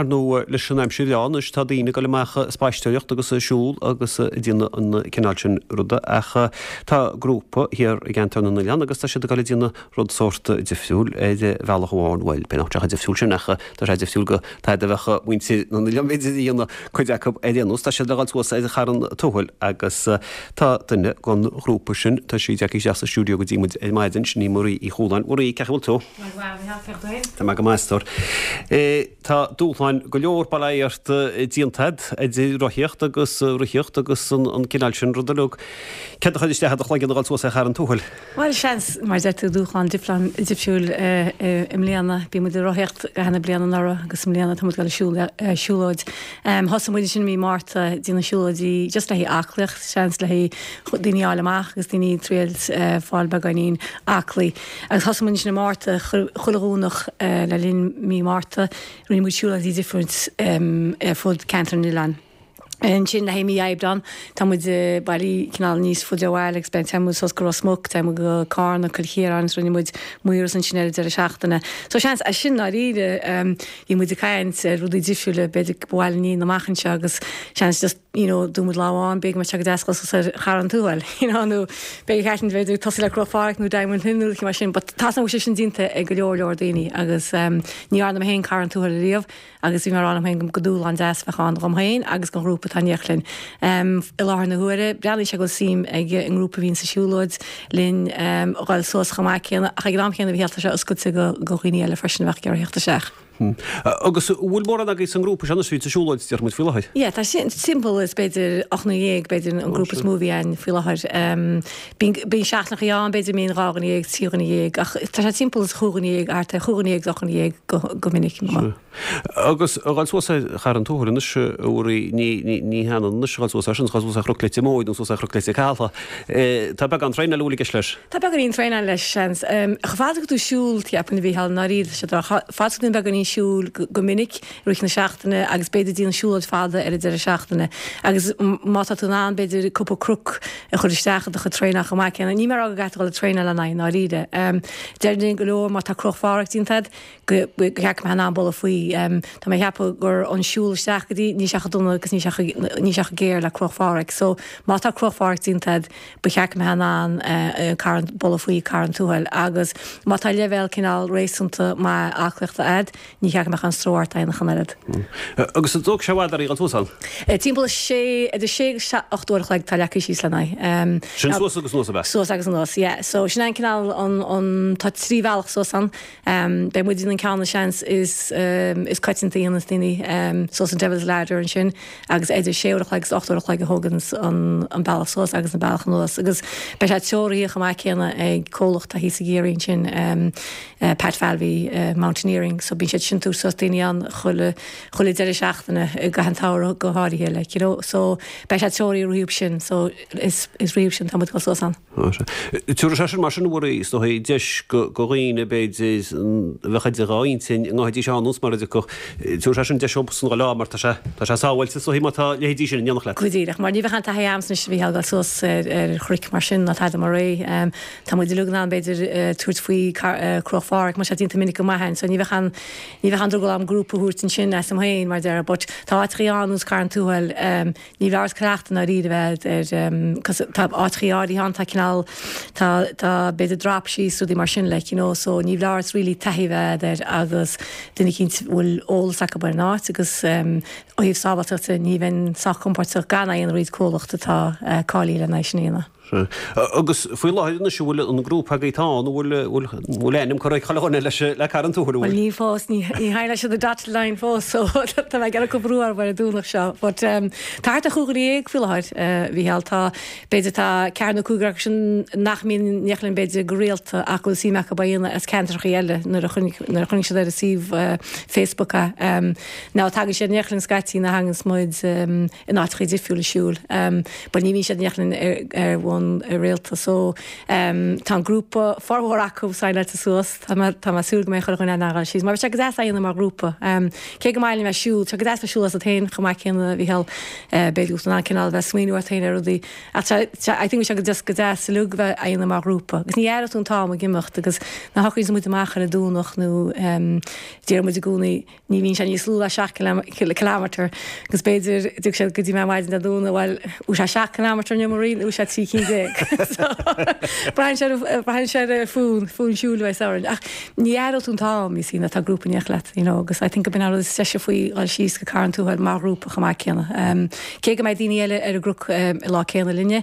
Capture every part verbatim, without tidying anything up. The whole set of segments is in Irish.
Ar ndóigh leis an aimsir bhreá anois tá daoine ag dul amach ag spaisteoireacht agus ag siúl agus ag déanamh an cineál sin ruda ach tá grúpa thiar i gceantar na n-oileán agus tá siad ag dul ag déanamh rud sórt difriúil ar bhealach amháin, bhuel b'fhéidir nach sé difriúil sin ach tá sé difriúil go tada a bheadh muintir na n-oileán b'fhéidir a dhéanamh cuid acu ar aon nós. Tá siad le dhul suas ar Charn Tuathail agus tá duine den ghrúpa sin, tá sí tagtha isteach sa stiúideo go dtí muid ar maidin, sin í Marie Uí Chualáin. Marie, cén chaoi a bhfuil tú? Tá mé go maith, a stór. Tá dúshláin go leor bail ó Dhia ort déanta agat, idir rothaíocht agus ritheacht agus an cineál sin ruda uilig. Céard a chuir isteach i do chloigeann a dhul suas ar Charn Tuathail? Bhuel, seans, mar a deir tú, dúshlán difriúil i mbliana. Bhí muid ag rothaíocht gach aon bliain anuraidh agus i mbliana tá muid ag dul ag siúlóid. Thosaigh muid ansin i mí Márta ag déanamh siúlóidí just le haghaidh aclaíocht, seans le haghaidh daoine a fháil amach agus daoine ag triail fáil beagáinín aclaí. Agus thosaigh muid ansin i Márta, chuile Dhomhnach le linn mí Márta, rinne muid siúlóidí difriúil ar fud ceantar na n-oileán. Ansin le haghaidh mí Aibreán, tá muid ag baile cineál níos faide ó bhaile agus beidh téann muid suas go Ros Muc, téann muid go Carna, Cill Chiaráin agus rinne muid Maoras ansin ar an deireadh seachtaine. So seans, as sin dáiríre, bhí muid ag caint ar rudaí difriúla b'fhéidir ba mhaith linn a dhéanamh amach anseo agus seans just you know, dúirt muid lá amháin, b'fhéidir go mbeadh sé go deas dul suas ar Charn Tuathail, you know, nó b'fhéidir ceart b'fhéidir tosú le Cnoc Phádraig nó Diamond Hill nó rud mar sin, but tá sé sin déanta ag go leor leor daoine agus um, ní dhearna mé féin Carn Tuathail riamh agus bhí mé ag rá liom féin go dúshlán deas a bheadh ann dhom féin agus don ghrúpa atá in éineacht linn. Um, I láthair na huaire, breathnaíonn sé go bhfuil suim ag an ngrúpa a bhíonn sa siúlóid linn um, dhul suas chomh maith céanna ach ag an am céanna bhí tá sé oscailte go go dhaoine eile freisin a bheadh ag iarraidh theacht isteach. Hmm. Agus bhfuil mórán agaibh san ngrúpa sin a bhíonn sa siúlóid deir muid faoi láthair? Yeah, tá sin timpeall is b'fhéidir ocht ndéag b'fhéidir an grúpa is mó a bhí ann faoi láthair. Um, Bíonn seachtainí ann b'fhéidir míon dhá dhuine dhéag trí dhuine dhéag ach tá sé timpeall is chúig dhuine dhéag thart ar chúig dhuine dhéag ocht ndéag go, go minic. Agus a dhul suas ar Charn Tuathail anois a Mharie ní ní hionann anois a dhul suas air sin, dhul suas ar Chnoc Leitir Móir nó suas ar Chnoc Leitir Caladh. Tá beagán traenáil i gceist leis. Tá beagáinín traenáil leis seans. Chomh fada go tú siúl ceapaim a Mhícheáil ndáiríre sé fad tú beagáinín siúl go minic rith na seachtaine agus b'fhéidir déanamh siúlóid fada ar an deireadh seachtaine. Agus má tá tú in ann b'fhéidir cúpla cnoc a chur isteach i do chuid traenáil chomh maith céanna. Ní mar go gcaithfidh tú dul ag traenáil lena aghaidh ndáiríre. Deir go leor má tá Cnoc Phádraig déanta agat go gceap mé an bulla faoi. Tá mé ceapadh gur an siúl isteach go dtí ní sé chomh dona agus ní sé ní sé chomh géar le Cnoc Phádraig. So má tá Cnoc Phádraig déanta agat ba cheart go mbeadh in ann Carn bulla faoi Carn Tuathail agus má tá leibhéal cineál réasúnta maith aclaíochta agat, ní cheart go mbeadh an stró ort aon chun oiread. Agus an dtóg sé i bhfad oraibh dul suas ann? Timpeall sé idir sé agus ocht uair a chloig tá leagtha síos lena aghaidh. Sin suas agus anuas ab ea? Suas agus anuas, yeah. So sin an cineál an an tá trí bhealach suas ann. Um, beidh muid an ceann seans is um, is coitianta a dhéanas daoine um, suas an Devil's Ladder ansin agus idir sé uair a chloig agus ocht uair a chloig a thógann an, an bealach suas agus an bealach anuas agus beidh sé treoraithe chomh maith céanna ag comhlacht a thíos i gCiarraí ansin um, uh, Pat Falvey uh, Mountaineering so bíonn siad sin tú suas daoine an chuile chuile deireadh seachtaine i gcaitheamh an tsamhraidh go háirithe like, you know so beidh sé treoraithe riamh sin so is is riamh sin tá muid go suas ann. Tabharfaidh sé sin mar sin bhfuil is dóigh deis go go dhaoine b'fhéidir bheadh idir dhá intinn i ngá seo nós mar a dtiocfadh tabharfaidh sé sin deis san lá mar tá sé tá sé sábháilte so má tá leithéidí sin in éineacht leat. Go díreach mar ní bheadh an taithí a'msa anois a bhí dul suas ar ar chnoic mar sin ná tada mar é. Um, tá muid uilig in ann b'fhéidir uh, tabhairt faoi uh, Cnoc Phádraig mar sé déanta minic go maith so ní bheadh an ní bheadh an drogall am grúpa a thabhairt ansin as am féin mar deir, but tá áiteachaí ann nós Carn Tuathail um, ní bheadh cleachtadh ná rí bheith ar um, tá áiteachaí áirithe ann tá cineál tá tá b'fhéidir drop síos rudaí mar sin like, you know, so ní bheadh really taithí bheith air agus duine éicint bhfuil eolas acu ar an áit agus um, ó thaobh sábháilteachta ní bheinn sách compordach gan aon ríad comhlacht atá uh, cáilithe lena sin a dhéanamh. Agus faoi láthair anois bhfuil an grúpa agaibh tá an bhfuil bhfuil ainm curtha ag chuile dhuine leis le Carn Tuathail Well ní fós ní tháinig leis the dotted line fós so tá mé ag brú ar an Domhnach seo, but um, tá thart ar chúig dhuine déag faoi láthair uh, Mhícheál tá b'fhéidir tá ceathair nó cúigear acu sin nach mbíonn in éineacht linn b'fhéidir go rialta ach bhfuil suim acu a dhéanamh as ceantracha eile nuair a nuair a chonaic siad ar a suíomh uh, Facebook a um, ná tagann siad in éineacht linn scaití na hangas muid um, in áiteacha difriúla siúl um, but ní bhíonn siad in éineacht linn ar ar bhonn ann rialta so tá an grúpa formhór acu signáilte suas tá mé tá mé súil go mbeidh chuile dhuine in ann a ghabháil síos mar bheadh sé go deas é a dhéanamh mar ghrúpa. Cé go maith liom a bheith ag siúl, tá sé go deas bheith ag siúl asat féin chomh maith céanna a Mhícheáil b'fhéidir go bhfuil tú in ann cineál a bheith ag smaoineamh ort féin ar rudaí ach tá tá I think bheadh sé go just go deas uilig bheith á dhéanamh mar ghrúpa agus ní aireoidh tú an t-am ag imeacht agus nuair a shocraíonn muid amach ar an Domhnach nó deir muid i gcónaí ní bhíonn sé níos lú ná seacht kilometre agus b'fhéidir dtiocfaidh siad go dtí mé maidin Dé Domhnaigh bhuel bhfuil sé seacht kilometre inniu Marie nó bhfuil sé trí cinn déag? So braitheann sé ar braitheann sé ar fonn fonn siúil a bheas orainn ach ní aireoidh tú an t-am you see nuair atá grúpa in éineacht leat you know agus I think go b'in an rud is deise faoi dhul síos go Carn Tuathail mar ghrúpa chomh maith céanna. Cé go mbeidh daoine eile ar an gcnoc an lá céanna linne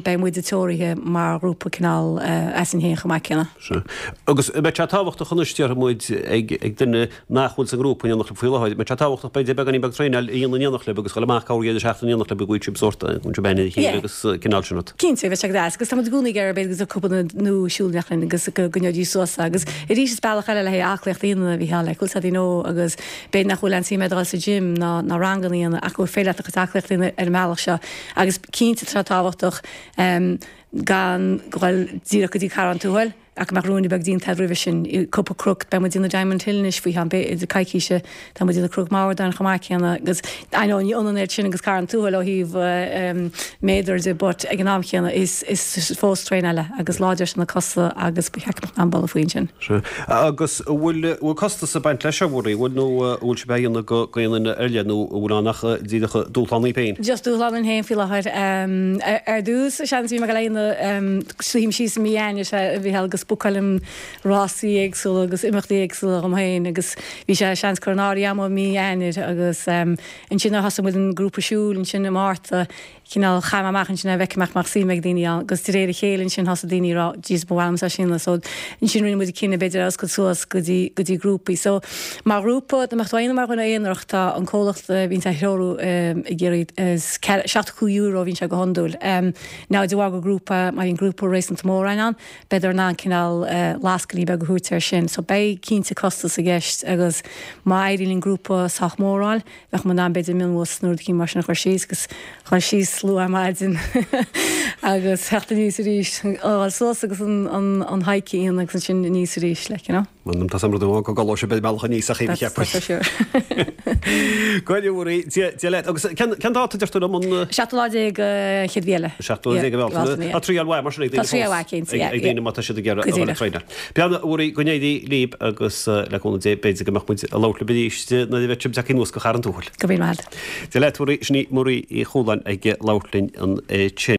beidh muide treoraithe mar ghrúpa cineál asainn féin chomh maith céanna. Sea. Agus an mbeidh sé tábhachtach anois déarfaidh muid ag ag duine nach bhfuil sa ngrúpa in éineacht libh faoi láthair, an mbeidh sé tábhachtach b'fhéidir beagáinín beag traenáil a dhéanamh in éineacht libh agus dhul amach corradh seachtain in éineacht libh go bhfuil sibh sórt go bhfuil sibh aithne ar a chéile agus cineál sin rud. Cinnte, bheadh sé go deas agus tá muid i gcónaí ag iarraidh b'fhéidir go dtiocfadh cúpla duine nua siúl in éineacht linn agus go gcoinneoidís suas agus arís is bealach eile le haghaidh aclaíocht a dhéanamh a Mhícheáil like bhfuil a fhios agat you know agus b'fhéidir nach bhfuil aon suim agat dul sa gym ná ná ranganna a dhéanamh ach go bhfuil féidir leat do chuid aclaíocht a dhéanamh ar an mbealach seo agus cinnte tá sé tábhachtach gan dhul díreach go dtí Carn Tuathail ach go mbeadh ruainne beag déanta agat roimhe sin. Cúpla cnoc, beidh muid ag déanamh Diamond Hill anois faoi cheann b'fhéidir coicíse, tá muid ag déanamh Cnoc Mhordáin chomh maith céanna agus I know ní ionann iad sin agus Carn Tuathail ó thaobh méadar de but ag an am chéanna is is fós traenáil é agus láidreoidh sé na cosa agus ba cheart go mbeadh an boladh faoi ansin. Sea. Agus an bhfuil bhfuil costas ag baint leis seo, Mhuirí, bhfuil nó an bhfuil sibh á dhéanamh go go aon duine ar leith nó an bhfuil ann ach díreach dúshlán daoibh féin? Just dúshlán dúinn féin faoi láthair. Ar dtús, seans, bhí mé ag dul a dhéanamh, suím síos i mí Eanáir, a Mhícheáil, agus bookálaim rásaí éagsúla agus imeachtaí éagsúla dhom féin agus bhí sé seans curtha in áirithe agam i mí Eanáir agus ansin nuair a thosaigh muid an grúpa siúil ansin i Márta, cineál chaith mé amach ansin é bhfeicfidh mé mbeadh suim ag daoine ann agus de réir a chéile ansin thosaigh daoine ag rá Jesus ba mhaith liomsa é sin a so ansin rinne muid cinneadh b'fhéidir a oscailt suas go dtí go dtí grúpaí so mar ghrúpa dá mbeadh tú á dhéanamh mar dhuine aonarach tá an comhlacht a bhíonn á threorú ag iarraidh is seachtó cúig euro a bhíonn sé go hiondúil now de bharr gur grúpa má bhíonn grúpa réasúnta mór ann beidh in ann cineál lascainí beag a thabhairt air sin so beidh cinnte costas i gceist agus má éiríonn linn grúpa sách mór a fháil bheadh muid in ann b'fhéidir mionbhus nó rud eicínt mar sin a chur síos agus chur síos luath ar maidin agus theacht aníos arís, a ghabháil suas agus an an an hike a dhéanamh agus ansin aníos arís like you know. M'anam tá sam rud amháin go gcodlóidh sibh ar an mbealach aníos ach That's that's for sure. Go raibh Mhuirí, Dia Dia leat. Agus cén cén dáta deir tú liom an. Seachtú lá déag an chéad mhí eile. Seachtú lá déag de Bhealtaine. Tá triail mhaith mar sin ag daoine Tá triail mhaith cinnte, yeah, ag daoine má tá siad ag iarraidh a dhul ag traenáil. Beannacht a Mhuirí, go n-éirí libh agus le cúnamh Dé b'fhéidir go mbeadh muid ag labhairt libh arís nuair a bheidh sibh tagtha anuas go Charn Tuathail. Go raibh míle maith agat. Dia leat a Mhuirí, sin í Muirí Uí Chualáin ag labhairt linn ansin.